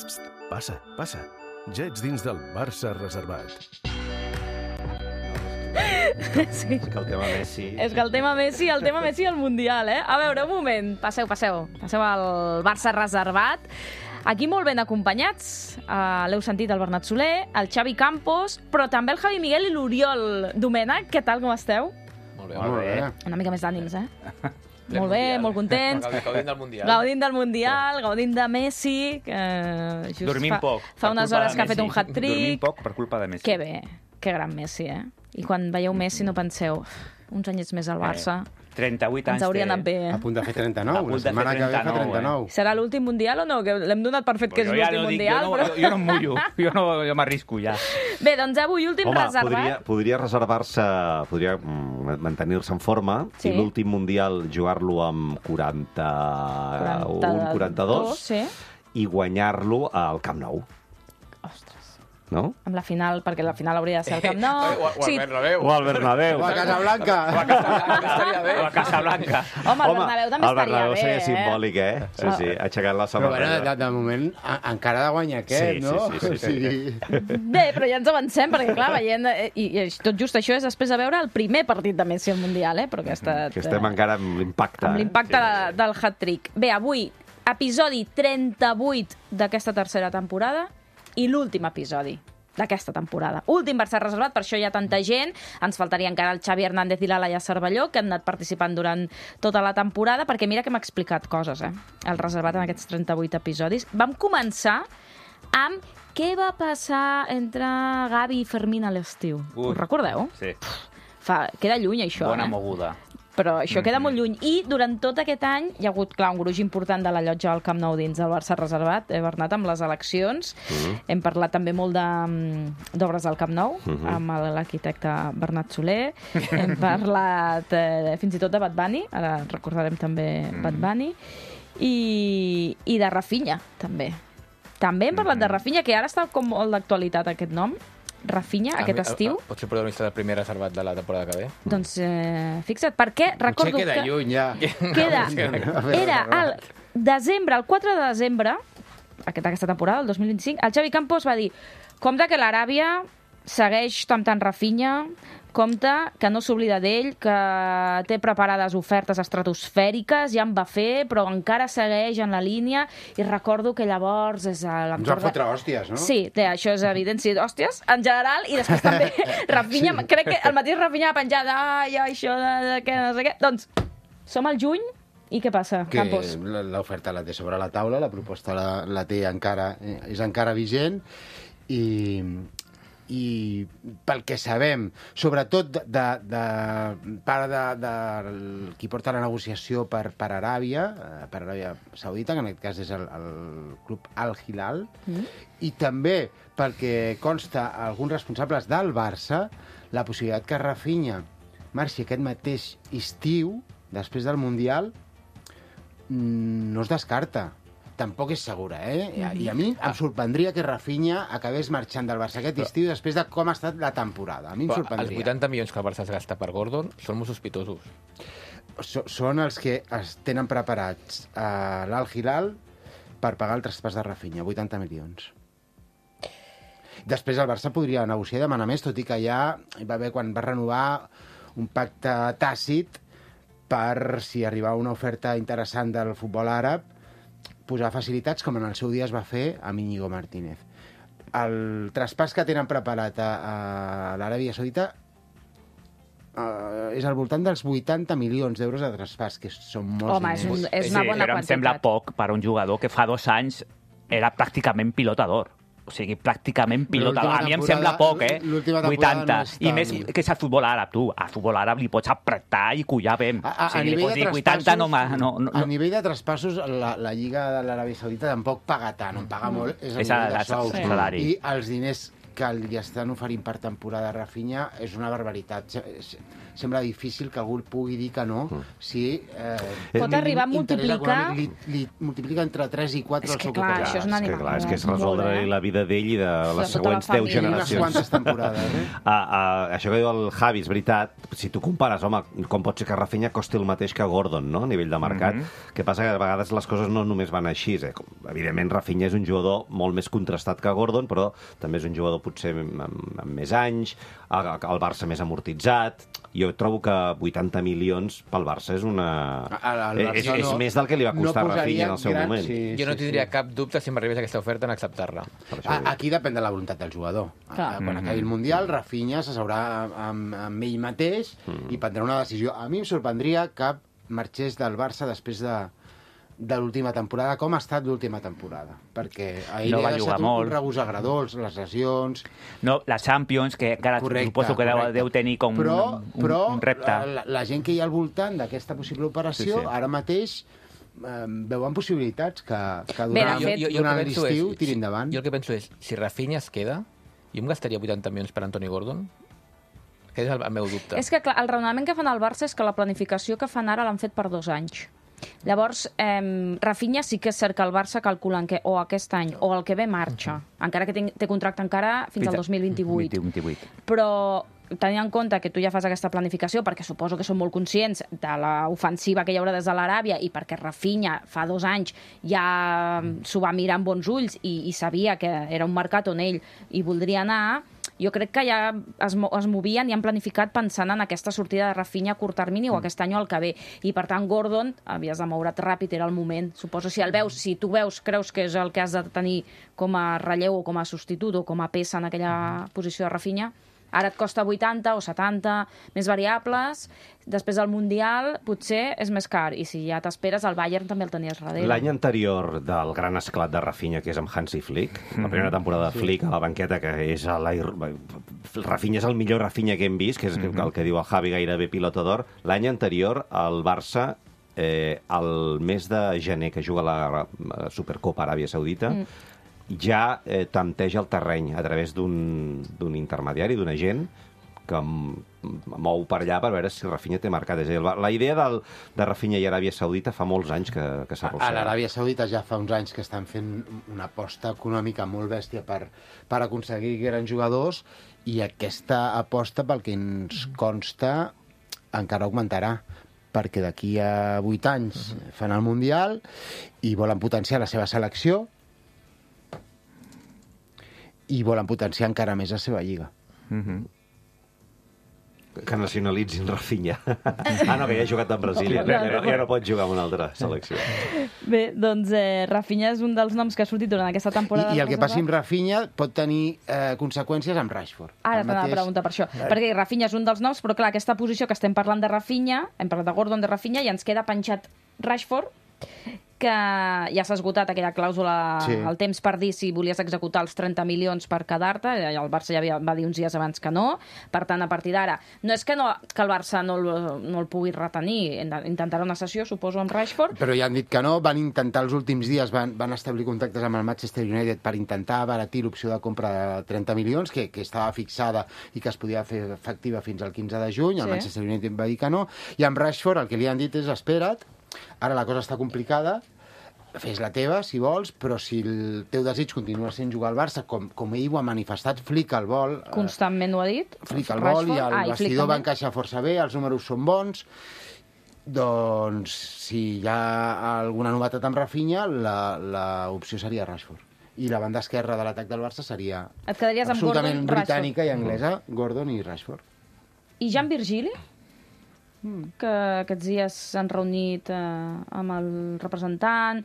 Passa, passa. Ja ets dins del Barça reservat. Sí. És que el tema Messi... És que el tema Messi al Mundial, eh? A veure, un moment. Passeu al Barça reservat. Aquí molt ben acompanyats. L'heu sentit, el Bernat Soler, el Xavi Campos, però també el Javi Miguel i l'Oriol Domènech. Què tal, com esteu? Molt bé. Molt bé. Una mica més d'ànims, eh? Molt bé, molt contents. Gaudint del Mundial. Gaudint del Mundial, gaudint de Messi, que just Dormint poc. fa unes hores que ha fet un hat-trick. Dormint poc per culpa de Messi. Que bé, que gran Messi, eh? I quan veieu Messi no penseu, uns anyets més al Barça, 38 anys ens hauria anat bé, A eh? punt de fer 39, A punt la de fer setmana que ve fa 39, 39. Serà l'últim Mundial o no? Que l'hem donat per fet que és l'últim Mundial, però... Jo no em mullo, jo m'arrisco ja. Bé, doncs avui últim Home, reservat. podria reservar-se, podria mantenir-se en forma Sí. i l'últim Mundial jugar-lo amb 41, 42 Sí. i guanyar-lo al Camp Nou, Ostres. no? Amb la final, perquè la final hauria de ser al Camp Nou. O al Bernabéu. O al Bernabéu. O a Casablanca. Estaria bé. O a Casablanca. Home, el Bernabéu també el Bernabéu estaria seria bé, simbòlic, eh? Sí, sí, aixecant la Però bueno, samarreta. de moment encara ha de guanyar aquest, Sí, no? sí, sí. Bé, però ja ens avancem, perquè clar, veient... I tot just això és després de veure el primer partit de Messi al Mundial, eh? Però que ha estat... Que estem encara amb l'impacte. amb l'impacte del hat-trick. Bé, avui, episodi 38 d'aquesta tercera temporada i l'últim episodi d'aquesta temporada. Últim Barça reservat, per això hi ha tanta gent. Ens faltaria encara el Xavi Hernández i la Laia Cervelló, que han anat participant durant tota la temporada, perquè mira que m'ha explicat coses, eh? El reservat en aquests 38 episodis. Vam començar amb què va passar entre Gavi i Fermín a l'estiu. Ui. Us recordeu? Sí, Queda lluny, això, bona eh? moguda. Però això queda molt lluny. I durant tot aquest any hi ha hagut, clar, un gruix important de la llotja al Camp Nou dins del Barça reservat, Bernat, amb les eleccions. Hem parlat també molt d'obres del Camp Nou, amb l'arquitecte Bernat Soler. Hem parlat fins i tot de Bad Bunny, ara recordarem també Bad Bunny. I de Rafinha, també. També hem parlat de Rafinha, que ara està com molt d'actualitat aquest nom. Rafinha, aquest estiu. Pot ser protagonista del primer reservat de la temporada que ve? Doncs fixa't, perquè recordo Potser queda que... lluny, ja. Era el desembre, el 4 de desembre, d'aquesta temporada, el 2025, el Xavi Campos va dir: compte que l'Aràbia segueix temptant Rafinha, compte que no s'oblida d'ell, que té preparades ofertes estratosfèriques, ja en va fer, però encara segueix en la línia, i recordo que llavors és a Ens l'entorn va fotre hòsties, no? Sí, això és evident, sí, hòsties, en general, i després també Rafinha, crec que el mateix Rafinha ha penjat, ai, això de què, no sé què. Doncs, som al juny, i què passa, Que Campos? l'oferta la té sobre la taula, la proposta la té encara, és encara vigent, i pel que sabem, sobretot de part de qui porta la negociació per Aràbia Saudita, que en aquest cas és el club Al Hilal, i també perquè consta alguns responsables del Barça la possibilitat que Rafinha marxi aquest mateix estiu, després del Mundial, no es descarta. Tampoc és segura, eh? I a mi em sorprendria que Rafinha acabés marxant del Barça aquest estiu després de com ha estat la temporada. A mi em Els sorprendria. 80 milions que el Barça es gasta per Gordon són molt sospitosos. Són els que es tenen preparats a l'Al Hilal per pagar el traspàs de Rafinha, 80 milions. Després el Barça podria negociar i demanar més, tot i que ja hi va haver, quan va renovar, un pacte tàcit per, si arribava una oferta interessant del futbol àrab, posar facilitats, com en el seu dia es va fer amb Íñigo Martínez. El traspàs que tenen preparat a l'Aràbia Saudita és al voltant dels 80 milions d'euros de traspàs, que són molts Home, diners. és una bona però em sembla quantitat. poc per a un jugador que fa 2 anys era pràcticament pilotador. O sigui, pràcticament pilotador. A mi em sembla poc, eh? L'última temporada 80. no és I tant. més que és el futbol àrab, tu. Al futbol àrab li pots apretar i collar bé. A O sigui, li nivell pots de dir 80 no. a nivell de traspassos, la Lliga de l'Aràbia Saudita tampoc paga tant, on paga molt és a És nivell de el sous. salari. I els diners que li estan oferint per temporada a Rafinha és una barbaritat. Sembla difícil que algú pugui dir que no si... Pot arribar a multiplicar... Li multiplica entre 3 i 4 el seu clar, capital. això és una animal. És que és resoldre la vida d'ell i de les següents 10 generacions. Unes quantes temporades, Això que diu el Javi és veritat. Si tu compares, home, com pot ser que Rafinha costi el mateix que Gordon, no?, a nivell de mercat. Que passa que a vegades les coses no només van així. Evidentment, Rafinha és un jugador molt més contrastat que Gordon, però també és un jugador potser amb més anys, el Barça més amortitzat. Jo trobo que 80 milions pel Barça és una... És més del que li va costar a Rafinha en el seu moment. Jo no tindria cap dubte si m'arribés aquesta oferta en acceptar-la. Aquí depèn de la voluntat del jugador. Quan acabi el Mundial, Rafinha s'asseurà amb ell mateix i prendrà una decisió. A mi em sorprendria que marxés del Barça després de l'última temporada, com ha estat l'última temporada, perquè a ell no ha deixat un regust agradós, les lesions... No, la Champions, que encara suposo que deu tenir com un repte. La gent que hi ha al voltant d'aquesta possible operació, ara mateix veuen possibilitats que durant l'estiu tiri endavant. Jo el que penso és, si Rafinha es queda, jo em gastaria 80 milions per Anthony Gordon? Aquest és el meu dubte. És que clar, el raonament que fan al Barça és que la planificació que fan ara l'han fet per 2 anys. Llavors, Rafinha sí que és cert que el Barça calculen que o aquest any o el que ve marxa, encara que té contracte encara fins al 2028. Però tenint en compte que tu ja fas aquesta planificació, perquè suposo que són molt conscients de l'ofensiva que hi haurà des de l'Aràbia i perquè Rafinha fa 2 anys ja s'ho va mirar amb bons ulls i sabia que era un mercat on ell hi voldria anar, jo crec que ja es movien i han planificat pensant en aquesta sortida de Rafinha a curt termini o aquest any o el que ve. I, per tant, Gordon, havies de moure't ràpid, era el moment. Suposo, si tu creus que és el que has de tenir com a relleu o com a substitut o com a peça en aquella posició de Rafinha, ara et costa 80 o 70, més variables, després del Mundial potser és més car, i si ja t'esperes, el Bayern també el tenies darrere. L'any anterior del gran esclat de Rafinha, que és amb Hansi Flick, la primera temporada de Flick a la banqueta, que és Rafinha és el millor Rafinha que hem vist, que és el que diu el Javi, gairebé pilota d'or. L'any anterior, el Barça, el mes de gener, que juga la Supercopa Aràbia Saudita, ja tanteja el terreny a través d'un intermediari, d'un agent, que mou per allà per veure si Rafinha té mercat. És a dir, la idea de Rafinha i Aràbia Saudita fa molts anys que s'arrossega. A l'Aràbia Saudita ja fa uns anys que estan fent una aposta econòmica molt bèstia per aconseguir grans jugadors, i aquesta aposta, pel que ens consta, encara augmentarà, perquè d'aquí a 8 anys fan el Mundial i volen potenciar la seva selecció i volen potenciar encara més la seva lliga. Que nacionalitzin Rafinha. No, que ja ha jugat en Brasília. Ja no pot jugar en una altra selecció. Bé, doncs Rafinha és un dels noms que ha sortit durant aquesta temporada. I el que passi amb Rafinha pot tenir conseqüències amb Rashford. Ara t'anava a preguntar per això. Perquè Rafinha és un dels noms, però clar, aquesta posició que estem parlant de Rafinha, hem parlat de Gordon, de Rafinha, i ens queda penjat Rashford, que ja s'ha esgotat aquella clàusula al temps per dir si volies executar els 30 milions per quedar-te. El Barça ja va dir uns dies abans que no. Per tant, a partir d'ara, no és que el Barça no el pugui retenir, intentarà una sessió, suposo, amb Rashford. Però ja han dit que no, van intentar els últims dies, van establir contactes amb el Manchester United per intentar abaratir l'opció de compra de 30 milions, que estava fixada i que es podia fer efectiva fins al 15 de juny. El Manchester United va dir que no. I amb Rashford el que li han dit és espera't, ara la cosa està complicada, fes la teva, si vols, però si el teu desig continua sent jugar al Barça, com ell ho ha manifestat, Flick el vol... Constantment ho ha dit. Flick el vol, i el vestidor va encaixar força bé, els números són bons. Doncs, si hi ha alguna novetat amb Rafinha, l'opció seria Rashford. I la banda esquerra de l'atac del Barça seria absolutament britànica i anglesa, Gordon i Rashford. I Jan Virgili? Que aquests dies s'han reunit amb el representant,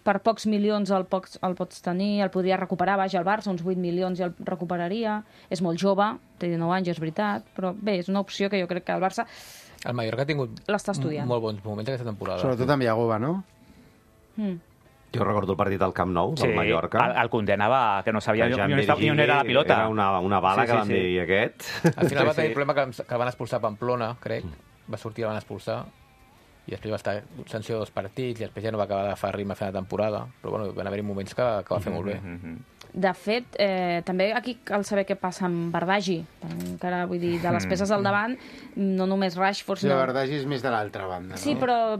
per pocs milions el pots tenir, el podria recuperar, vaja, al Barça, uns 8 milions ja el recuperaria, és molt jove, té 19 anys, és veritat, però bé, és una opció que jo crec que el Barça el Mallorca ha tingut molt bons moments aquesta temporada. Sobretot amb Iagova, no? Jo recordo el partit al Camp Nou, del Mallorca. El condenava, que no sabia ni on era la pilota. Era una bala que van dir, i aquest... Al final va tenir el problema que van expulsar a Pamplona, crec. Va sortir, el van expulsar, i després va estar sanció 2 partits, i després ja no va acabar d'agafar ritme a fer la temporada. Però bueno, van haver-hi moments que va fer molt bé. De fet, també aquí cal saber què passa amb Bardagi. Encara, vull dir, de les peces al davant, no només Rashford... La Bardagi és més de l'altra banda, no? Sí, però...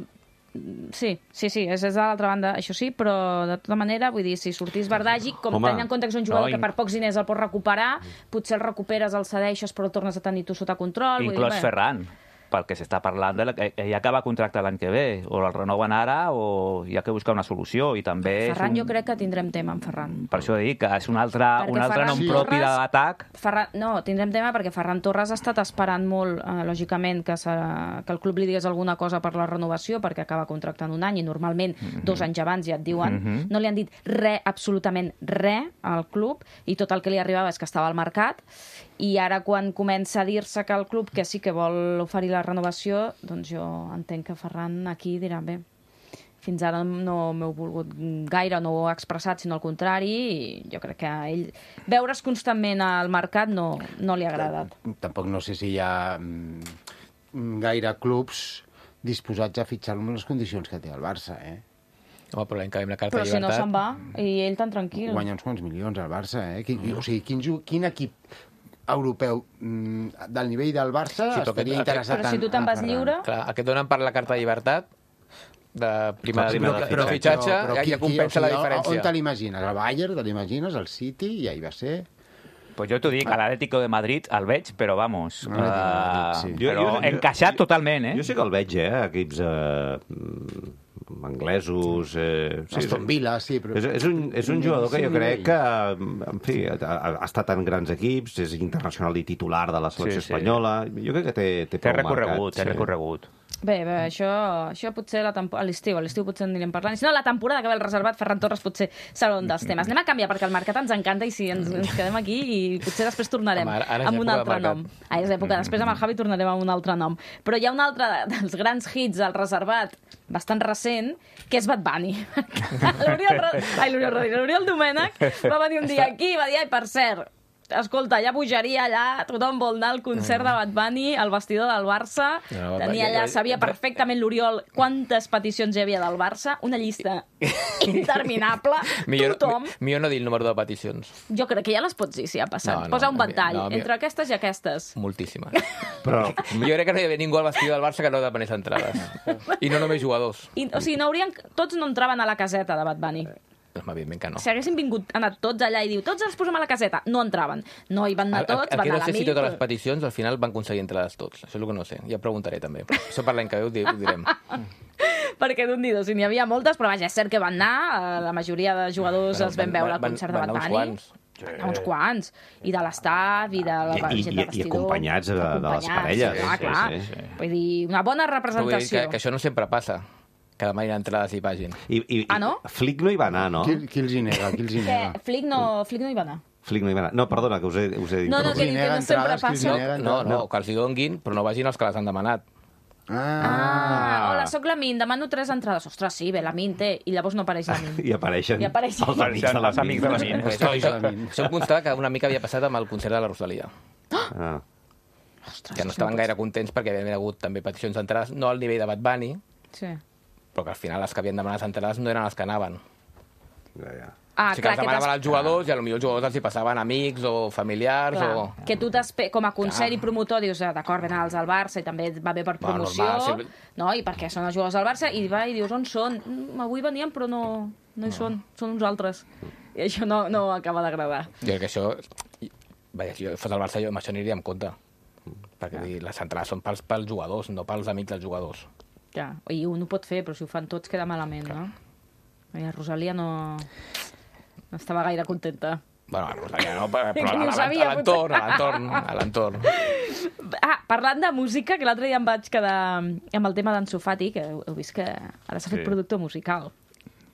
Sí, és de l'altra banda, això sí, però de tota manera, vull dir, si sortís Bardagi, tenint en compte que és un jugador que per pocs diners el pots recuperar, potser el recuperes, el cedeixes, però el tornes a tenir tu sota control... Inclòs Ferran, pel que s'està parlant, ell acaba contracte l'any que ve, o el renoven ara o hi ha que buscar una solució. I també Ferran, jo crec que tindrem tema amb Ferran. Per això dic que és un altre nom propi de l'atac. No, tindrem tema perquè Ferran Torres ha estat esperant molt, lògicament, que el club li digués alguna cosa per la renovació, perquè acaba contractant un any i normalment 2 anys abans ja et diuen. No li han dit res, absolutament res al club, i tot el que li arribava és que estava al mercat, i ara quan comença a dir-se que el club que sí que vol oferir la renovació, doncs jo entenc que Ferran aquí dirà, bé, fins ara no m'heu volgut gaire, no ho ha expressat, sinó al contrari, i jo crec que a ell veure's constantment al mercat no li ha agradat. Tampoc no sé si hi ha gaire clubs disposats a fitxar-lo amb les condicions que té el Barça, Home, però l'any que ve amb la carta de llibertat... Però si no se'n va, i ell tan tranquil. Guanya uns quants milions al Barça, O sigui, quin equip europeu del nivell del Barça estaria interessat en... Però si tu te'n vas lliure... Clar, aquest donen per la carta de llibertat de primera fitxatge, ja compensa la diferència. On te l'imagines? El Bayern, te l'imagines? El City? I ahí va ser... Pues jo t'ho dic, a l'Atlético de Madrid el veig, però vamos, però encaixat totalment, Jo sí que el veig, equips anglesos... Aston Villa, sí, però... És un jugador que jo crec que, en fi, ha estat en grans equips, és internacional i titular de la selecció espanyola. Jo crec que té prou marcat. Té recorregut. Bé, això potser a l'estiu potser en anirem parlant. Si no, la temporada que ve el reservat, Ferran Torres potser serà un dels temes. Anem a canviar, perquè el mercat ens encanta i si ens quedem aquí i potser després tornarem amb un altre nom. És època, després amb el Javi tornarem amb un altre nom. Però hi ha un altre dels grans hits al reservat, bastant recent, que és Bad Bunny. L'Oriol Domènech va venir un dia aquí i va dir, per cert, escolta, hi ha bogeria allà, tothom vol anar al concert de Bad Bunny, al vestidor del Barça, tenia allà, sabia perfectament l'Oriol quantes peticions hi havia del Barça, una llista interminable, tothom... Millor no dir el número de peticions. Jo crec que ja les pots dir, si ha passat. Posa un ventall, entre aquestes i aquestes. Moltíssimes. Però jo crec que no hi havia ningú al vestidor del Barça que no depenés entrades. I no només jugadors. O sigui, tots no entraven a la caseta de Bad Bunny. Evidentment que no. Si haguessin anat tots allà i diu tots els posem a la caseta, no entraven. No hi van anar tots, van anar a no sé si totes les peticions al final van aconseguir entrades tots. Això és el que no sé. Ja preguntaré també. Això per l'any que ve ho direm. Perquè d'un dia, si n'hi havia moltes, però vaja, és cert que van anar, la majoria de jugadors els vam veure al concert de Bad Bunny. Uns quants. I de l'estaf, i de la gent de vestidor. I acompanyats de les parelles. Clar. Vull dir, una bona representació. Que això no sempre passa. Que demà hi ha entrades i pàgin. No? Flick no hi va anar, no? Qui els hi nega? Flick no hi va anar. Flick no hi va anar. No, perdona, que us he dit. No, que no sempre passa. No, que els hi donguin, però no vagin els que les han demanat. Hola, soc la Min, demano 3 entrades. Ostres, sí, bé, la Min té. I llavors no apareix la Min. I apareixen els amics de la Min. Això em constava que una mica havia passat amb el concert de la Rosalia. Que no estaven gaire contents perquè havien hagut també peticions d'entrades, no al nivell de Bad Bunny, però que al final les que havien demanat entrades no eren les que anaven. O sigui que els demanaven als jugadors i potser els jugadors els hi passaven amics o familiars. Que tu, com a concert i promotor, dius, d'acord, venen els al Barça i també va bé per promoció, i perquè són els jugadors del Barça, i dius, on són? Avui venien, però no hi són uns altres. I això no acaba d'agradar. Jo crec que això... Si jo fos al Barça, jo amb això aniria en compte. Perquè les entrades són pels jugadors, no pels amics dels jugadors. I un ho pot fer, però si ho fan tots queda malament, no? La Rosalia no estava gaire contenta. Bueno, la Rosalia no, però a l'entorn. Parlant de música, que l'altre dia em vaig quedar amb el tema d'Ansu Fati, que heu vist que ara s'ha fet productor musical.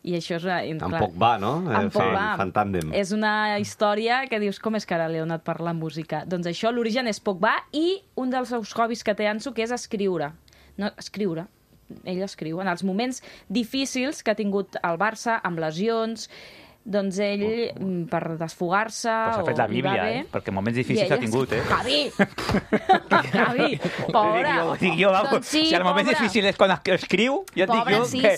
I això és... En Pogba, no? Fan tàndem. És una història que dius, com és que ara li ha donat parlar música? Doncs això, l'origen és Pogba i un dels seus hobbies que té Ansu, que és escriure. Ell escriu. En els moments difícils que ha tingut el Barça, amb lesions, doncs ell, per desfogar-se... Pues ha fet la Bíblia, perquè moments difícils ha tingut, Javi! Javi, pobra! Dic jo, doncs sí, si el moment difícil és quan escriu, ja et dic jo que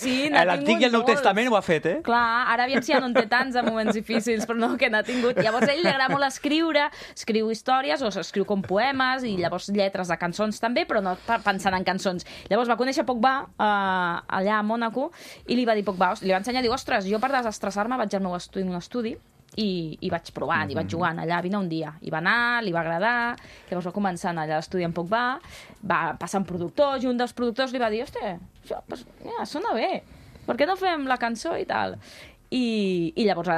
l'Antic i el Nou Testament ho ha fet, Clar, ara aviam si ja no en té tants de moments difícils, però no, que n'ha tingut. Llavors, ell li agrada molt escriure, escriu històries o escriu com poemes i llavors lletres de cançons també, però no pensant en cançons. Llavors va conèixer Pogba allà a Mònaco i li va dir Pogba, li va ensenyar, diu, ostres, jo per desestressar-me vaig al meu estudi, un estudi, i vaig provant, i vaig jugant allà, vine un dia. I va anar, li va agradar, llavors va començar a anar allà a l'estudi amb Pogba, va passar amb productors, i un dels productors li va dir, ostres, això sona bé, per què no fem la cançó i tal? I llavors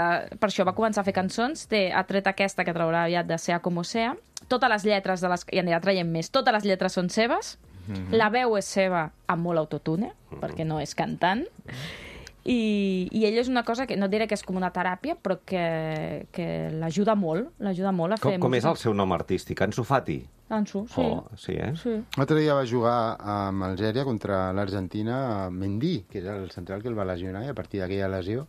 per això va començar a fer cançons, ha tret aquesta que traurà aviat de Sea Como Sea, totes les lletres, i anirà traient més, totes les lletres són seves, la veu és seva amb molt autotune, perquè no és cantant, i ell és una cosa que no diré que és com una teràpia, però que l'ajuda molt a fer... Com és el seu nom artístic? Ansu Fati? Ansu, sí. Sí, Sí. L'altre dia va jugar amb Algèria contra l'Argentina Mendy, que és el central que el va lesionar, i a partir d'aquella lesió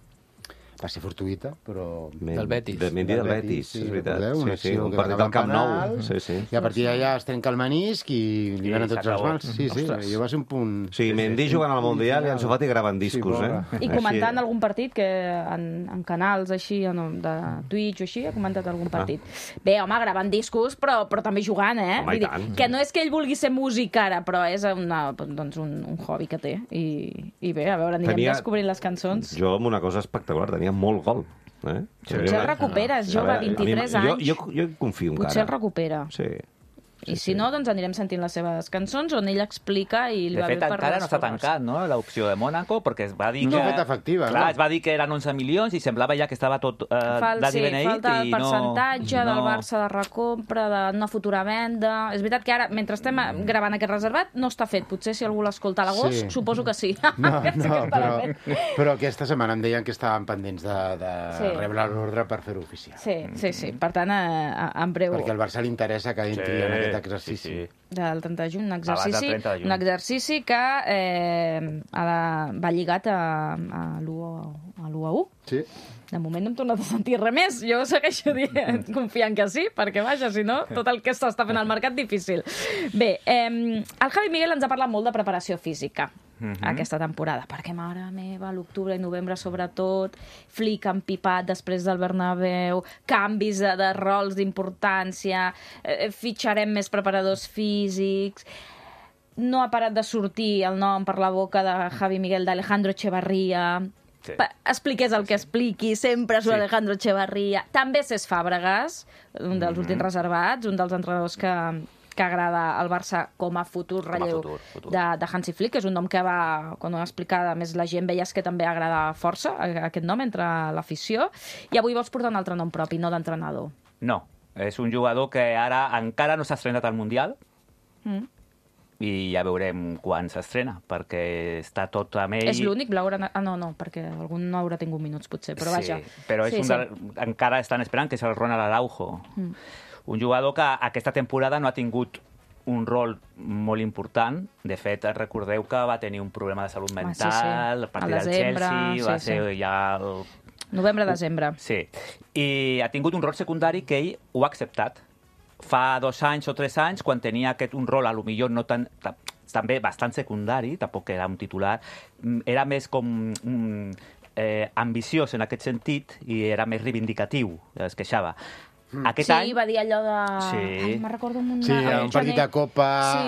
va ser fortuïta, però... Del Betis. Mendy del Betis, és veritat. Sí, un partit del Camp Nou. I a partir d'allà es trenca el menisc i li venen tots els mals. Sí, jo va ser un punt... Sí, Mendy jugant al Mundial i Ansu Fati gravant discos, I comentant algun partit, que en canals així, de Twitch o així, ha comentat algun partit. Bé, home, gravant discos, però també jugant, Home, i tant. Que no és que ell vulgui ser músic ara, però és un hobby que té. I bé, a veure, anirem descobrint les cançons. Jo, amb una cosa espectacular, tenia molt gol. Potser el recuperes, jove, 23 anys. Jo confio encara. Potser el recupera. Sí. I si no, doncs anirem sentint les seves cançons on ell explica i li va bé per... De fet, encara no està tancat, no?, l'opció de Mònaco, perquè es va dir que... No ha fet efectiva, clar, es va dir que eren 11 milions i semblava ja que estava tot dadi beneït. Falta el percentatge del Barça de recompra, d'una futura venda... És veritat que ara, mentre estem gravant aquest reservat, no està fet. Potser si algú l'escolta a l'agost, suposo que sí. Però aquesta setmana em deien que estaven pendents de rebre l'ordre per fer-ho oficial. Sí. Per tant, en breu... Perquè al Barça li interessa que entri en aquest exercici. Del 30 de juny, un exercici que va lligat a l'1-1. Sí. De moment no hem tornat a sentir res més. Jo segueixo confiant que sí, perquè vaja, si no, tot el que s'està fent al mercat difícil. Bé, el Javi Miguel ens ha parlat molt de preparació física aquesta temporada, perquè, mare meva, l'octubre i novembre sobretot, Flick empipat després del Bernabéu, canvis de rols d'importància, fitxarem més preparadors físics... No ha parat de sortir el nom per la boca de Javi Miguel d'Alejandro Echevarría. Sí. Expliqués el que expliqui, sempre surt Alejandro Echevarría. També Cesc Fàbregas, un dels últims reservats, un dels entrenadors que agrada al Barça com a futur relleu de Hansi Flick, que és un nom que va, quan ho explicava, més la gent veies que també agrada força, aquest nom, entre l'afició. I avui vols portar un altre nom propi, no d'entrenador. No, és un jugador que ara encara no s'ha estrenat al Mundial, i ja veurem quan s'estrena, perquè està tot amb ell... És l'únic? No, perquè algun no haurà tingut minuts, potser, però vaja. Sí, però encara estan esperant, que és el Ronald Araujo. Un jugador que aquesta temporada no ha tingut un rol molt important. De fet, recordeu que va tenir un problema de salut mental, a partir del Chelsea, va ser ja... Novembre-desembre. Sí. I ha tingut un rol secundari que ell ho ha acceptat. Fa 2 anys o 3 anys, quan tenia un rol, a lo millor no tan... també bastant secundari, tampoc era un titular, era més com ambiciós en aquest sentit i era més reivindicatiu, es queixava. Aquest any... va dir allò de... Sí. Me'n recordo un partit de Copa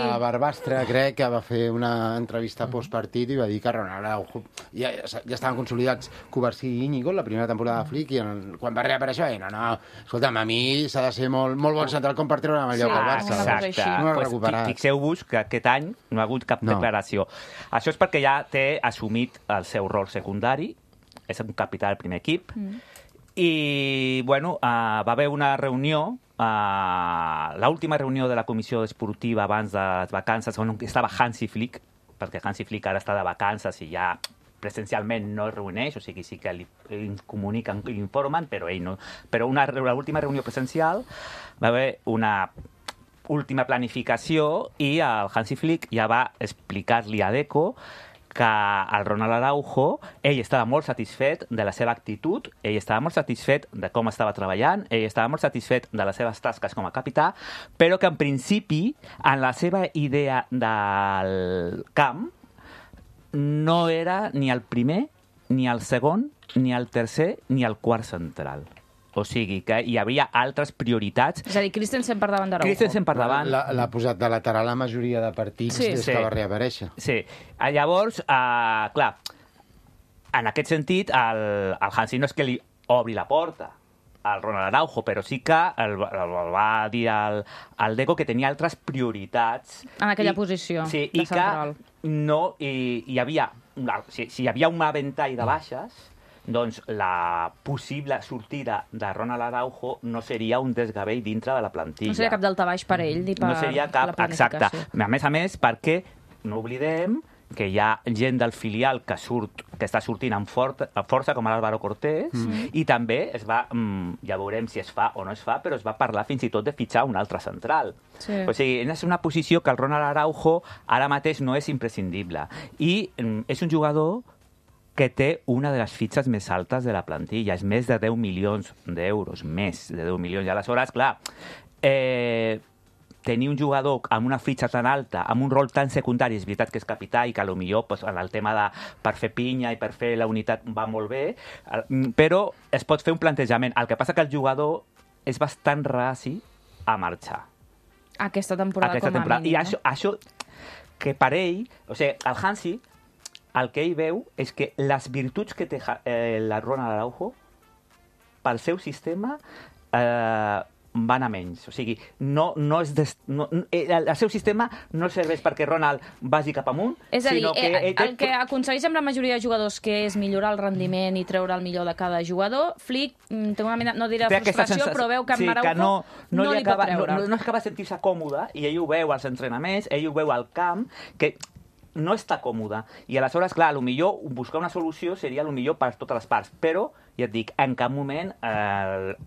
a Barbastre, crec, que va fer una entrevista postpartit i va dir que Ronald Araujo... Ja estaven consolidats Covarsí i Íñigo, la primera temporada de Flick, i quan va reaparèixer, escolta'm, a mi s'ha de ser molt bon central com per treure amb el lloc al Barça. Exacte. No l'ha recuperat. Fixeu-vos que aquest any no ha hagut cap declaració. Això és perquè ja té assumit el seu rol secundari, és un capità del primer equip, i, bueno, va haver una reunió, l'última reunió de la comissió esportiva abans de les vacances, on estava Hansi Flick, perquè Hansi Flick ara està de vacances i ja presencialment no es reuneix, o sigui, sí que li comuniquen i li informen, però ell no. Però l'última reunió presencial va haver una última planificació i el Hansi Flick ja va explicar-li a Deco que el Ronald Araujo, ell estava molt satisfet de la seva actitud, ell estava molt satisfet de com estava treballant, ell estava molt satisfet de les seves tasques com a capità, però que en principi, en la seva idea del camp, no era ni el primer, ni el segon, ni el tercer, ni el quart central. O sigui que hi havia altres prioritats. És a dir, Christensen per davant d'Araujo. Christensen per davant. L'ha posat de lateral la majoria de partits des que va reaparèixer. Sí. Llavors, clar, en aquest sentit, el Hansi no és que li obri la porta al Ronald Araujo, però sí que el va dir al Deco que tenia altres prioritats. En aquella posició de central. I hi havia, si hi havia un ventall de baixes, doncs la possible sortida de Ronald Araujo no seria un desgavell dintre de la plantilla. No seria cap daltabaix per ell ni per no seria cap, la planificació. Exacte. A més, perquè no oblidem que hi ha gent del filial que està sortint amb força, com l'Álvaro Cortés, i també es va, ja veurem si es fa o no es fa, però es va parlar fins i tot de fitxar un altre central. Sí. O sigui, és una posició que el Ronald Araujo ara mateix no és imprescindible. I és un jugador que té una de les fitxes més altes de la plantilla. És més de 10 milions d'euros. Més de 10 milions. I aleshores, clar, tenir un jugador amb una fitxa tan alta, amb un rol tan secundari, és veritat que és capità i que potser en el tema de per fer pinya i per fer la unitat va molt bé, però es pot fer un plantejament. El que passa que el jugador és bastant raci a marxar. Aquesta temporada com a mínim. I això que per ell, o sigui, el Hansi, el que ell veu és que les virtuts que té la Ronald Araujo pel seu sistema van a menys. O sigui, el seu sistema no serveix perquè Ronald vagi cap amunt, és a dir, sinó que... el que aconsegueix amb la majoria de jugadors, que és millorar el rendiment i treure el millor de cada jugador, Flick té una mena, no diré frustració, però veu que amb Araujo no li pot treure. No acaba de sentir-se còmode, i ell ho veu als entrenaments, ell ho veu al camp, que no està còmode. I aleshores, clar, potser buscar una solució seria millor per totes les parts. Però, ja et dic, en cap moment el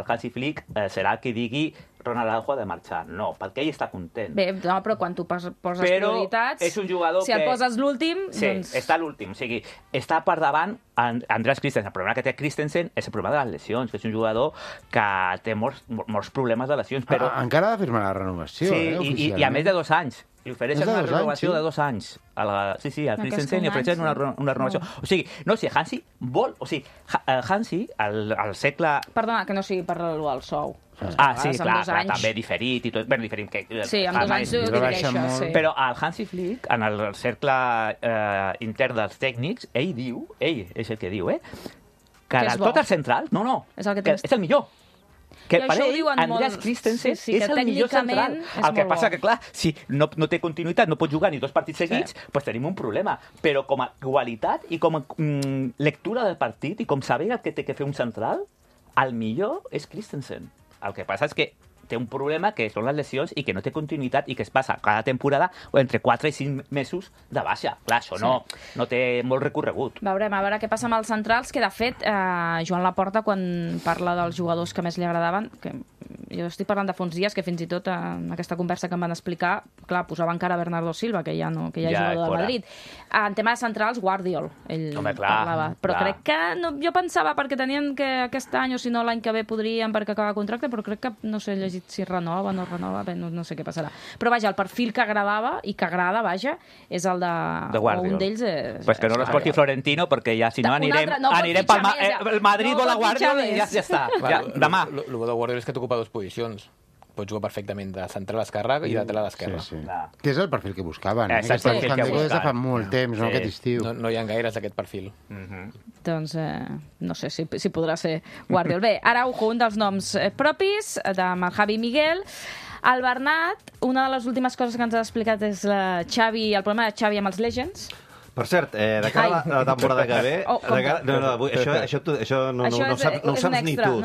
Hansi Flick serà que digui Ronald Araujo ha de marxar. No, perquè ell està content. Bé, no, però quan tu poses prioritats, és un jugador si el poses l'últim... Sí, doncs... està l'últim. O sigui, està per davant Andreas Christensen. El problema que té Christensen és el problema de les lesions, que és un jugador que té molts problemes de lesions, però... Encara ha de firmar la renovació, oficialment. I a més de 2 anys. Li ofereixen una renovació de 2 anys. Sí, a Christensen li ofereixen una renovació. O sigui, no, si Hansi vol... O sigui, Hansi, al segle... Perdona, que no sigui per el sou. Sí, clar, també diferit i tot. Bé, diferit que... Sí, amb 2 anys ho divideixes, sí. Però el Hansi Flick, en el cercle intern dels tècnics, ell és el que diu, que de tot el central, és el millor. Que per ell, Andreas Christensen és el millor central. El que passa que, clar, si no té continuïtat, no pot jugar ni 2 partits seguits, doncs tenim un problema. Però com a qualitat i com a lectura del partit i com saber el que té que fer un central, el millor és Christensen. El que passa és que té un problema que són les lesions i que no té continuïtat i que es passa cada temporada entre 4 i 5 mesos de baixa. Clar, això no té molt recorregut. Veurem, a veure què passa amb els centrals, que de fet Joan Laporta, quan parla dels jugadors que més li agradaven, que jo estic parlant de fa uns dies, que fins i tot en aquesta conversa que em van explicar, clar, posava encara Bernardo Silva, que ja és jugador del Madrid. En tema de centrals, Guardiol, ell parlava. Però crec que, jo pensava, perquè tenien que aquest any o si no l'any que ve podrien perquè acaba contracte, però crec que, no sé, llegit si renova o no renova, bé, no sé què passarà. Però vaja, el perfil que agradava i que agrada, vaja, és el de Guardiol. Un d'ells és... Pues que no l'esporti Florentino, perquè ja, si no, anirem pel el Madrid vol a Guardiol i ja està. Demà. El bo de Guardiol és que t'ocupa 2 posicions. Pots jugar perfectament de central a l'esquerra i de lateral a l'esquerra. Sí. Que és el perfil que buscaven. És el perfil que buscaven. Des de fa molt temps, no aquest estiu. No hi ha gaires d'aquest perfil. Doncs no sé si podrà ser Guardiol. Bé, Araujo, un dels noms propis, amb el Javi Miguel. El Bernat, una de les últimes coses que ens ha explicat és el problema de Xavi amb els Legends. Per cert, de cara a la temporada que ve... Això no ho saps ni tu.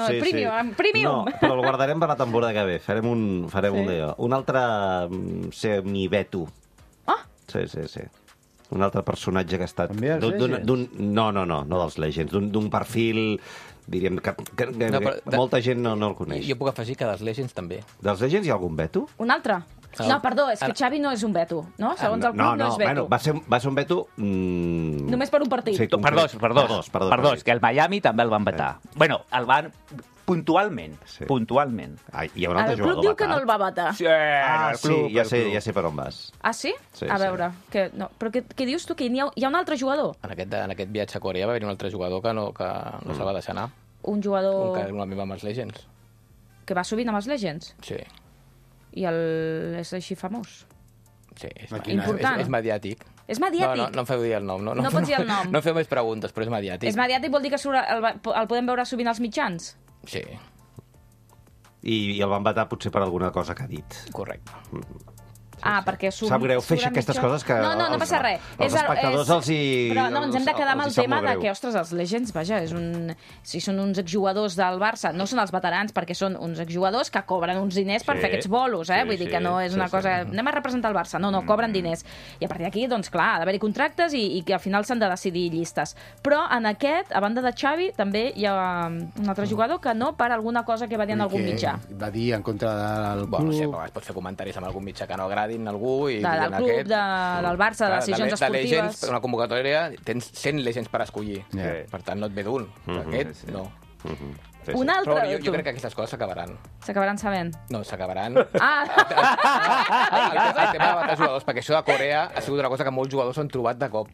Premium. No, però el guardarem per la temporada que ve. Farem un d'allò. Un altre semi-Beto. Sí. Un altre personatge que ha estat... No dels Legends. D'un perfil... diríem que molta gent no el coneix. Jo puc afegir que dels Legends també. Dels Legends hi ha algun Beto? Un altre? No, perdó, és que Xavi no és un veto, no? Segons el club no és veto. Bueno, va ser un veto... Només per un partit. Sí, perdó, és que el Miami també el van vetar. Bueno, el van... Puntualment. Sí. Puntualment. Hi ha un altre El club diu que no el va vetar. Sí, ja sé per on vas. Ah, sí? Sí, a veure. No. Però què dius tu? Que hi ha un altre jugador? En aquest viatge a Corea va haver un altre jugador que no se'l va deixar anar. Un jugador... Un amic amb els Legends. Que va sovint amb els Legends? Sí. I és així famós? Sí, important. És mediàtic. És mediàtic? No em feu dir el nom. No pots dir el nom. No em feu més preguntes, però és mediàtic. És mediàtic vol dir que el podem veure sovint als mitjans? Sí. I el van vetar potser per alguna cosa que ha dit. Correcte. Perquè sap greu fer aquestes coses que no passa res. Els espectadors els hi... Però no, ens hem de quedar amb el tema de que, ostres, els Legends, vaja, si són uns exjugadors del Barça, no són els veterans, perquè són uns exjugadors que cobren uns diners per fer aquests bolos, vull dir que no és una cosa... Anem a representar el Barça. No, cobren diners. I a partir d'aquí, doncs clar, ha d'haver-hi contractes i que al final s'han de decidir llistes. Però en aquest, a banda de Xavi, també hi ha un altre jugador que no per alguna cosa que va dir en algun mitjà. Va dir en contra del club... Bueno, sí, però pots fer comentaris amb algun mitjà que no agradin algú i del club, del Barça, de decisions esportives. De Legends, per una convocatòria, tens 100 Legends per escollir. Per tant, no et ve d'un. Aquest, no. Un altre... Però jo crec que aquestes coses s'acabaran. S'acabaran sabent? No, s'acabaran. El tema de batar jugadors, perquè això de Corea ha sigut una cosa que molts jugadors s'han trobat de cop.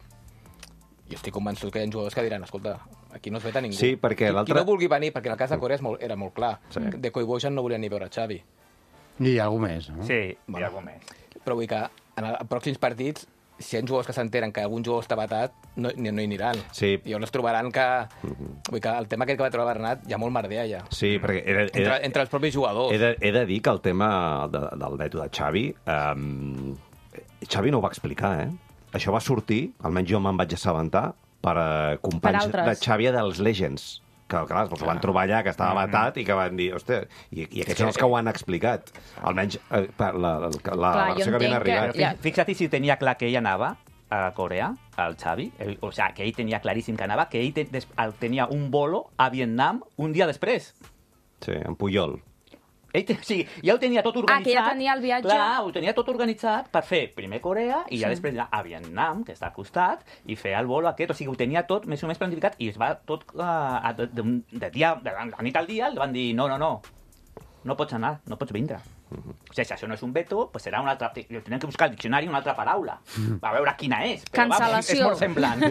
Jo estic convençut que hi ha jugadors que diran, escolta, aquí no es veta ningú. Sí, perquè l'altre... Qui no vulgui venir, perquè en el cas de Corea era molt clar. De Koibojan no volien ni veure Xavi. I algú més, no? Sí, i algú més. Però vull que en els pròxims partits, si hi ha jugadors que s'enteren que algun jugador està vetat, no hi aniran. Sí. I llavors trobaran que... Vull que el tema aquest que va trobar Bernat hi ha molt merder allà. Sí, perquè... Entre els propis jugadors. He de dir que el tema del veto de Xavi... Xavi no ho va explicar, Això va sortir, almenys jo me'n vaig assabentar, per companys de Xavi dels Legends. Que, clar, els van trobar allà, que estava vetat, i que van dir, hòstia, i aquests són els que ho han explicat. Almenys la versió que havien arribat. Fixa't si tenia clar que ell anava a Corea, el Xavi, o sigui, que ell tenia claríssim que anava, que ell tenia un bolo a Vietnam un dia després. Sí, en Puyol. Ja ho tenia tot organitzat. Que ja tenia el viatge. Clar, ho tenia tot organitzat per fer primer Corea i ja després anar a Vietnam, que està al costat, i fer el vol aquest. O sigui, ho tenia tot més o menys planificat i es va tot de nit al dia, li van dir no pots anar, no pots vindre. O sigui, si això no és un veto, pues serà una altra... Tenen que buscar al diccionari una altra paraula. A veure quina és. Cancel·lació. És molt semblant.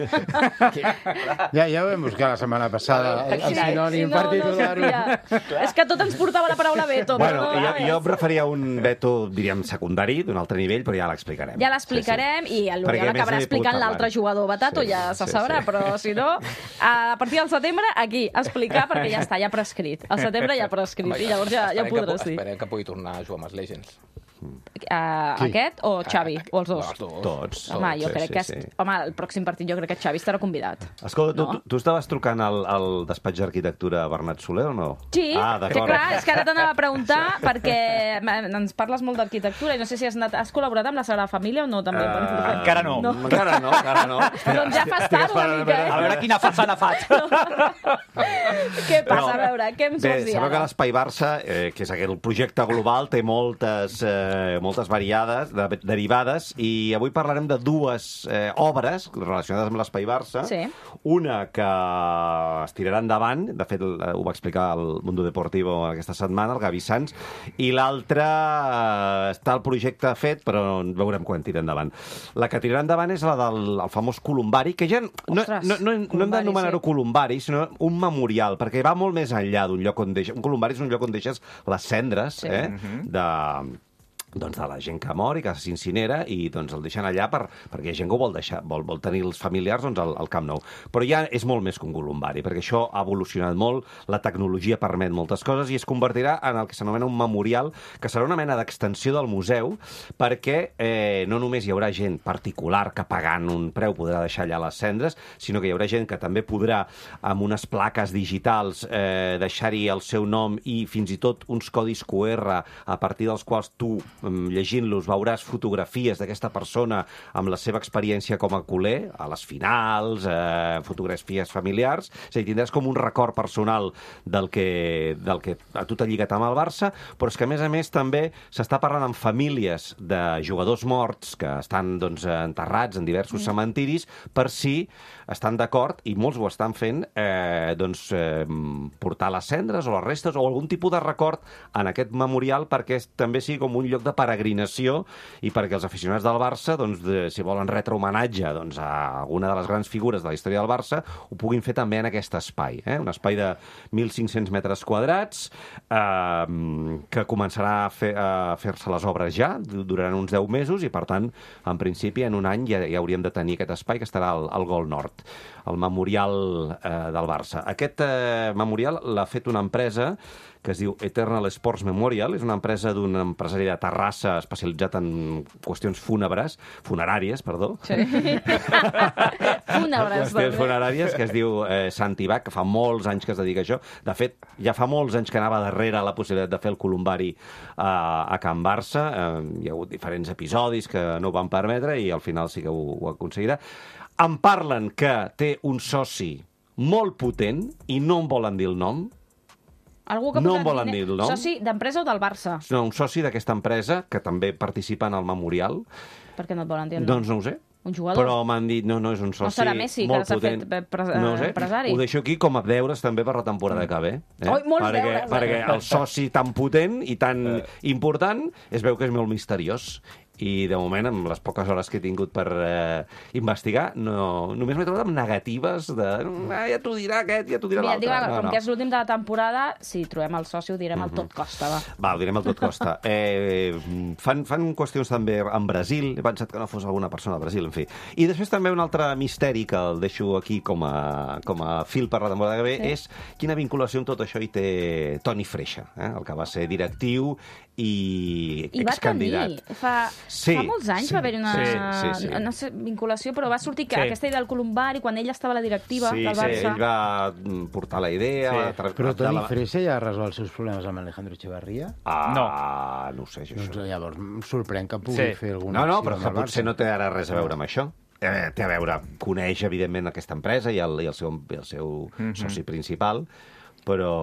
Ja ho vam buscar la setmana passada, el sinònim particular. És que tot ens portava la paraula veto. Bueno, jo em referia a un veto, diríem, secundari, d'un altre nivell, però ja l'explicarem. Ja l'explicarem i l'Oriol acabarà explicant l'altre jugador vetat, o ja se sabrà, però si no, a partir del setembre, aquí, explicar, perquè ja està, ja prescrit. Al setembre ja prescrit, i llavors ja ho podràs dir. Esperem que pugui tornar a jugar amb els Legends. Aquest o Xavi? O els dos? Tots. Home, jo crec que... Home, el pròxim partit jo crec que Xavi estarà convidat. Escolta, tu estaves trucant al despatx d'arquitectura Bernat Soler o no? Sí, que clar, és que ara t'anava a preguntar perquè ens parles molt d'arquitectura i no sé si has col·laborat amb la Sagrada Família o no, també. Encara no. Encara no. Doncs ja fas tard una mica, A veure quina façana faig. Què passa? A veure, què em vols dir ara? Sabeu que l'Espai Barça, que és aquell projecte global, té moltes variades, derivades, i avui parlarem de dues obres relacionades amb l'Espai Barça. Sí. Una que es tirarà endavant, de fet ho va explicar el Mundo Deportivo aquesta setmana, el Gavi Sans, i l'altra està el projecte fet, però veurem quan tira endavant. La que tirarà endavant és la del famós Columbari, que ja no hem d'anomenar-ho Columbari, sinó un memorial, perquè va molt més enllà d'un lloc on deixes... Un Columbari és un lloc on deixes les cendres de la gent que mor i que s'incinera i doncs el deixen allà perquè hi ha gent que ho vol deixar, vol tenir els familiars al Camp Nou. Però ja és molt més que un columbari, perquè això ha evolucionat molt, la tecnologia permet moltes coses i es convertirà en el que s'anomena un memorial, que serà una mena d'extensió del museu, perquè no només hi haurà gent particular que pagant un preu podrà deixar allà les cendres, sinó que hi haurà gent que també podrà, amb unes plaques digitals, deixar-hi el seu nom i fins i tot uns codis QR a partir dels quals tu llegint-los, veuràs fotografies d'aquesta persona amb la seva experiència com a culer, a les finals, fotografies familiars, és a dir, tindràs com un record personal del que a tu t'ha lligat amb el Barça, però és que, a més, també s'està parlant amb famílies de jugadors morts que estan enterrats en diversos cementiris per si estan d'acord, i molts ho estan fent, portar les cendres o les restes o algun tipus de record en aquest memorial perquè també sigui com un lloc de peregrinació i perquè els aficionats del Barça, si volen retre homenatge a alguna de les grans figures de la història del Barça, ho puguin fer també en aquest espai. Un espai de 1.500 metres quadrats que començarà a fer-se les obres ja, duraran uns 10 mesos i, per tant, en principi, en un any ja hauríem de tenir aquest espai que estarà al Gol Nord, el memorial del Barça. Aquest memorial l'ha fet una empresa que es diu Eternal Sports Memorial. És una empresa d'un empresari de Terrassa especialitzat en qüestions funeràries, Sí. Qüestions funeràries, que es diu Santi Bach, que fa molts anys que es dedica a això. De fet, ja fa molts anys que anava darrere la possibilitat de fer el columbari a Can Barça. Hi ha hagut diferents episodis que no ho van permetre i al final sí que ho aconseguirà. Em parlen que té un soci molt potent i no em volen dir el nom. Algú que no em volen dir el nom. Soci d'empresa o del Barça? No, un soci d'aquesta empresa que també participa en el memorial. Per què no et volen dir el nom? Doncs no ho sé. Un jugador? Però m'han dit, no, és un soci molt potent. No serà Messi, que s'ha fet empresari? Ho deixo aquí com a deures també per la temporada que ve. Molts deures. Perquè el soci tan potent i tan important es veu que és molt misteriós. I, de moment, amb les poques hores que he tingut per investigar, només m'he trobat amb negatives de ja t'ho dirà aquest, ja t'ho dirà l'altre. Com que és l'últim de la temporada, si trobem el soci ho direm al tot costa, va. Va, ho direm al tot costa. Fan qüestions també en Brasil, he pensat que no fos alguna persona de Brasil, en fi. I després també un altre misteri que el deixo aquí com a fil per la temporada que ve, és quina vinculació amb tot això hi té Toni Freixa, el que va ser directiu i excandidat. Fa molts anys va haver-hi una vinculació, però va sortir aquesta idea del columbari quan ell estava a la directiva del Barça. Sí, ell va portar la idea. Però Toni Freixa ja ha resolt els seus problemes amb Alejandro Echeverría? No ho sé, això. Doncs llavors em sorprèn que pugui fer alguna acció. No, però que potser no té ara res a veure amb això. Té a veure, coneix, evidentment, aquesta empresa i el seu soci principal, però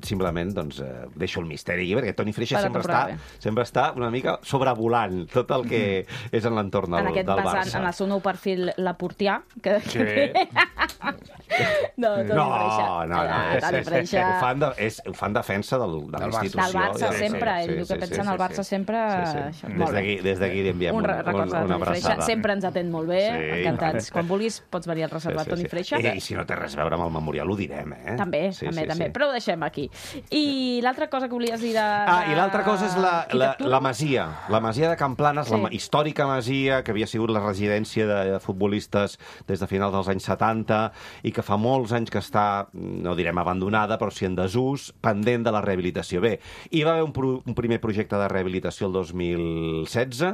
simplement deixo el misteri aquí, perquè Toni Freixa sempre està una mica sobrevolant tot el que és en l'entorn del Barça. En el seu nou perfil Laportià, que... No, Toni Freixa... Ho fan defensa de la institució. Del Barça, sempre. Ell diu que pensa en el Barça sempre... Des d'aquí li enviem una abraçada. Sempre ens atén molt bé, encantats. Quan vulguis pots venir al reservat Toni Freixa. I si no té res a veure amb el memorial, ho direm, eh? També. Però ho deixem aquí. I l'altra cosa que volies dir i l'altra cosa és la masia. La masia de Can Planes, la històrica masia que havia sigut la residència de futbolistes des de finals dels anys 70 i que fa molts anys que està, no direm abandonada, però sí en desús, pendent de la rehabilitació. Bé, hi va haver un primer projecte de rehabilitació el 2016.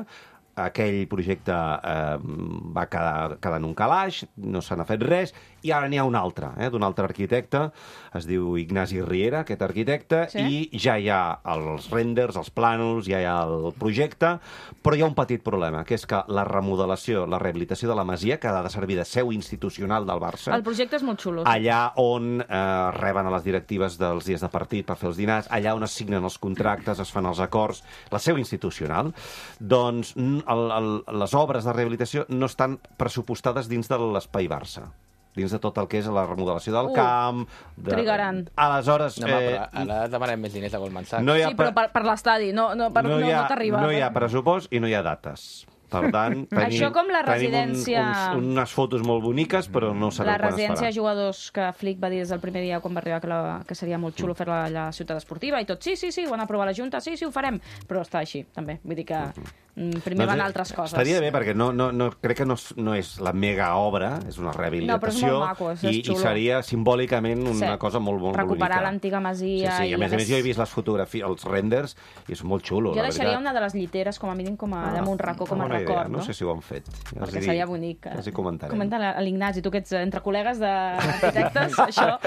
Aquell projecte va quedar en un calaix, no se n'ha fet res, i ara n'hi ha un altre, d'un altre arquitecte, es diu Ignasi Riera, aquest arquitecte, i ja hi ha els renders, els plànols, ja hi ha el projecte, però hi ha un petit problema, que és que la remodelació, la rehabilitació de la masia, que ha de servir de seu institucional del Barça... El projecte és molt xulo. Allà on reben a les directives dels dies de partit per fer els dinars, allà on es signen els contractes, es fan els acords, la seu institucional, doncs les obres de rehabilitació no estan pressupostades dins de l'espai Barça, dins de tot el que és la remodelació del camp... Trigaran. Aleshores... Ara demanem més diners a Goldman Sachs. Sí, però per l'estadi, no t'arriba. No hi ha pressupost i no hi ha dates. Per tant, això com la residència... tenim unes fotos molt boniques, però no sabem quan es farà. La residència de jugadors que Flick va dir des del primer dia quan va arribar que seria molt xulo fer-la a la ciutat esportiva i tot, sí, ho han aprovat la Junta, sí, ho farem, però està així, també. Vull dir que Primer van altres coses. Estaria bé, perquè crec que no és la mega obra, és una rehabilitació. No, però és molt maco, és xulo. I seria simbòlicament una cosa molt bonica. Recuperar l'antiga masia. Sí, a més jo he vist les fotografies, els renders, i és molt xulo. Jo deixaria una de les lliteres, com a mínim, damunt racó, com a record. No sé si ho han fet. Perquè seria bonic. Els hi comentarem. Comenta a l'Ignasi, tu que ets entre col·legues d'arquitectes, això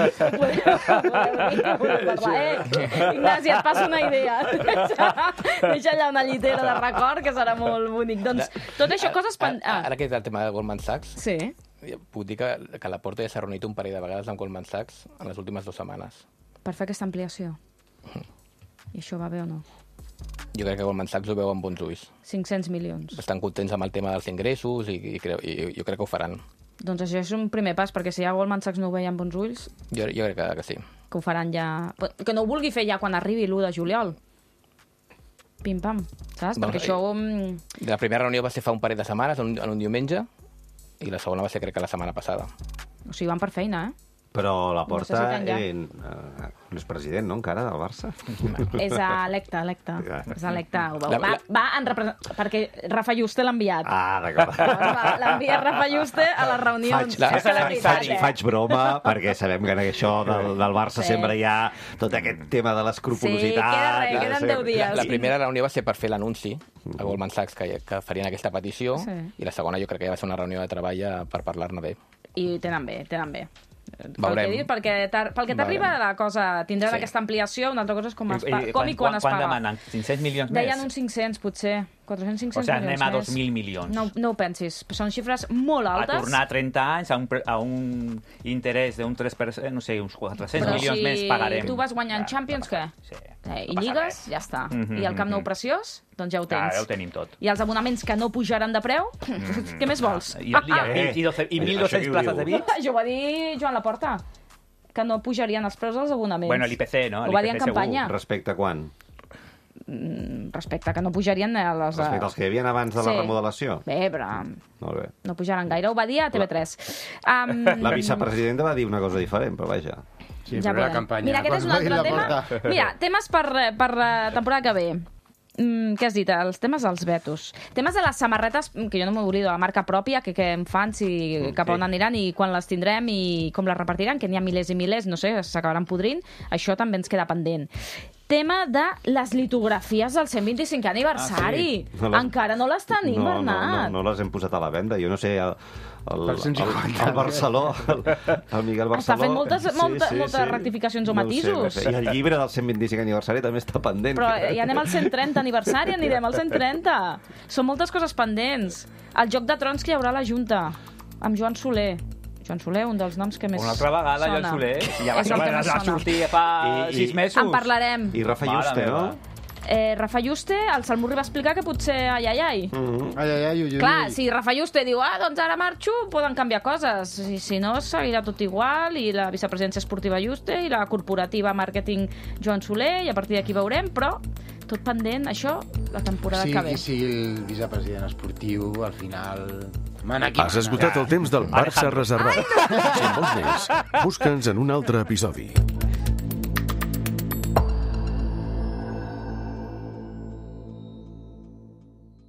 podeu parlar. Ignasi, et passo una idea. Deixa allà una llitera de record, que serà molt bonic. Doncs tot això, coses... Ara que és el tema de Goldman Sachs, sí. Puc dir que la Porta ja s'ha reunit un parell de vegades amb Goldman Sachs en les últimes 2 setmanes. Per fer aquesta ampliació. I això va bé o no? Jo crec que Goldman Sachs ho veu amb bons ulls. 500 milions. Estan contents amb el tema dels ingressos i jo crec que ho faran. Doncs això és un primer pas, perquè si ja Goldman Sachs no ho veia amb bons ulls... Jo crec que sí. Que ho faran ja... Que no ho vulgui fer ja quan arribi l'1 de juliol. Pim-pam, saps? Perquè això... La primera reunió va ser fa un parell de setmanes, en un diumenge, i la segona va ser, crec que la setmana passada. O sigui, van per feina, Però la Porta no és president, no, encara, del Barça? És electe. És electe. Perquè Rafa Juste l'ha enviat. Ah, d'acord. L'envia Rafa Juste a les reunions. Faig broma, perquè sabem que en això del Barça sempre hi ha tot aquest tema de l'escrupulositat. Sí, queden 10 dies. La primera reunió va ser per fer l'anunci a Goldman Sachs que farien aquesta petició, i la segona jo crec que ja va ser una reunió de treball per parlar-ne bé. I tenen bé. Pel que t'arriba la cosa, tindran aquesta ampliació, una altra cosa és com i quan es paga. Quan demanen? 500 milions més? Deien uns 500, potser. 400-500 milions més. O sigui, anem a 2.000 milions. No ho pensis. Són xifres molt altes. A tornar 30 anys a un interès d'un 3%, no sé, uns 400 milions més pagarem. Però si tu vas guanyant Champions, què? I lligues, ja està. I el Camp Nou preciós, doncs ja ho tens. Ja ho tenim tot. I els abonaments que no pujaran de preu, què més vols? I 1.200 places de VIP? Això ho va dir Joan Laporta, que no pujarien els preus dels abonaments. Bueno, l'IPC, no? Ho va dir en campanya. Respecte a quan? Respecte que no pujarien a les... Respecte als que hi havia abans de la remodelació? Bé, però... Molt bé. No pujaran gaire. Ho va dir a TV3. La vicepresidenta va dir una cosa diferent, però vaja. Sí, ja però la campanya... Mira, aquest és un altre tema. Mira, temes per temporada que ve. Què has dit? Els temes dels vetos. Temes de les samarretes, que jo no m'oblido, de la marca pròpia, que em fan, si cap on aniran i quan les tindrem i com les repartiran, que n'hi ha milers i milers, no sé, s'acabaran podrint. Això també ens queda pendent. Tema de les litografies del 125 aniversari. Encara no les tenim, Bernat. No les hem posat a la venda. Jo no sé... El Barceló, el Miguel Barceló... Està fent moltes rectificacions o matisos. I el llibre del 125 aniversari també està pendent. Però ja anem al 130 aniversari, anirem al 130. Són moltes coses pendents. El Joc de Trons que hi haurà a la Junta, amb Joan Soler. Joan Soler, un dels noms que més sona. Una altra vegada, Joan Soler. Ja va sortir fa 6 mesos. En parlarem. I Rafa Juste, no? Rafa Juste, el Salmurri va explicar que potser ai. Ai. Clar, si Rafa Juste diu, doncs ara marxo, poden canviar coses. I si no, seguirà tot igual, i la vicepresidència esportiva Juste, i la corporativa màrqueting Joan Soler, i a partir d'aquí veurem, però tot pendent, això, la temporada que ve. Sí, qui sigui el vicepresident esportiu, al final... Has esgotat el temps del Barça reservat. Si en vols més, busca'ns en un altre episodi.